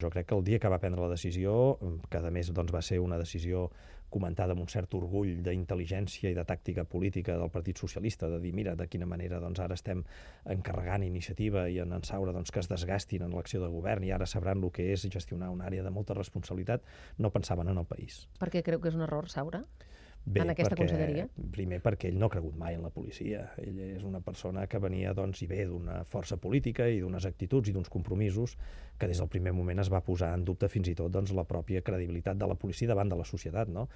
Jo crec que el dia que va prendre la decisió, que a més doncs, va ser una decisió comentada amb un cert orgull d'intel·ligència i de tàctica política del Partit Socialista, de dir, mira, de quina manera doncs, ara estem encarregant iniciativa i en Saura doncs, que es desgastin en l'acció de govern i ara sabran el que és gestionar una àrea de molta responsabilitat, no pensaven en el país. Per què creu que és un error, Saura? Bé, en aquesta conselleria? Primer perquè ell no ha cregut mai en la policia. Ell és una persona que venia doncs, i ve d'una força política i d'unes actituds i d'uns compromisos que des del primer moment es va posar en dubte fins i tot doncs, la pròpia credibilitat de la policia davant de la societat. No?